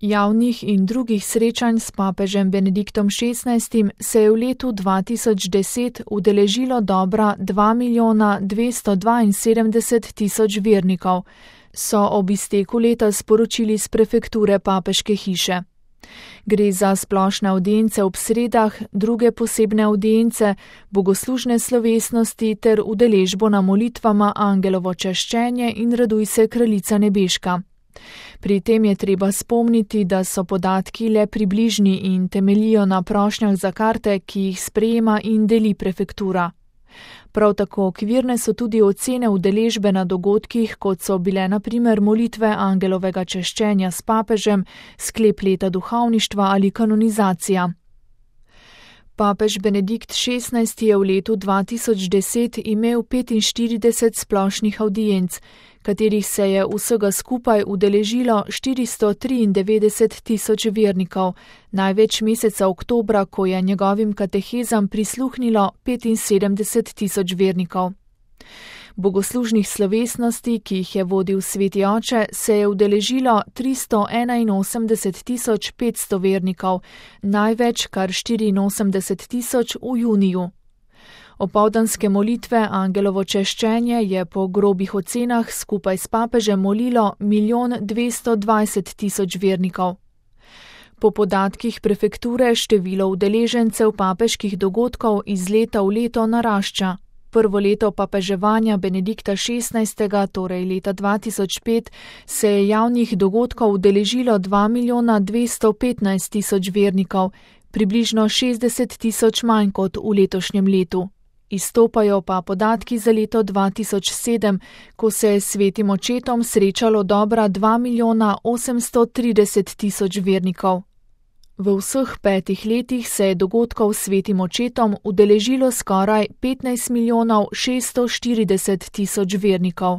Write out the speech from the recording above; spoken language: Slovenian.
Javnih in drugih srečanj s papežem Benediktom XVI se je v letu 2010 udeležilo dobra 2.272.000 vernikov, so ob izteku leta sporočili s prefekture papeške hiše. Gre za splošne avdience ob sredah, druge posebne avdience, bogoslužne slovesnosti ter udeležbo na molitvama Angelovo čaščenje in Raduj se, kraljica nebeška. Pri tem je treba spomniti, da so podatki le približni in temeljijo na prošnjah za karte, ki jih sprejema in deli prefektura. Prav tako okvirne so tudi ocene udeležbe na dogodkih, kot so bile na primer molitve Angelovega čaščenja s papežem, sklep leta duhovništva ali kanonizacija. Papež Benedikt XVI je v letu 2010 imel 45 splošnih avdienc, katerih se je vsega skupaj udeležilo 493.000 vernikov, največ meseca oktobra, ko je njegovim katehezam prisluhnilo 75.000 vernikov. Bogoslužnih slovesnosti, ki jih je vodil sveti oče, se je udeležilo 381.500 vernikov, največ kar 84.000 v juniju. Opoldanske molitve Angelovo čaščenje je po grobih ocenah skupaj s papežem molilo 1.220.000 vernikov. Po podatkih prefekture število udeležencev papeških dogodkov iz leta v leto narašča. Prvo leto papeževanja Benedikta XVI, torej leta 2005, se je javnih dogodkov udeležilo 2.215.000 vernikov, približno 60.000 manj kot v letošnjem letu. Izstopajo pa podatki za leto 2007, ko se je s svetim očetom srečalo dobra 2.830.000 vernikov. V vseh 5 letih se je dogodkov s svetim očetom udeležilo skoraj 15.640.000 vernikov.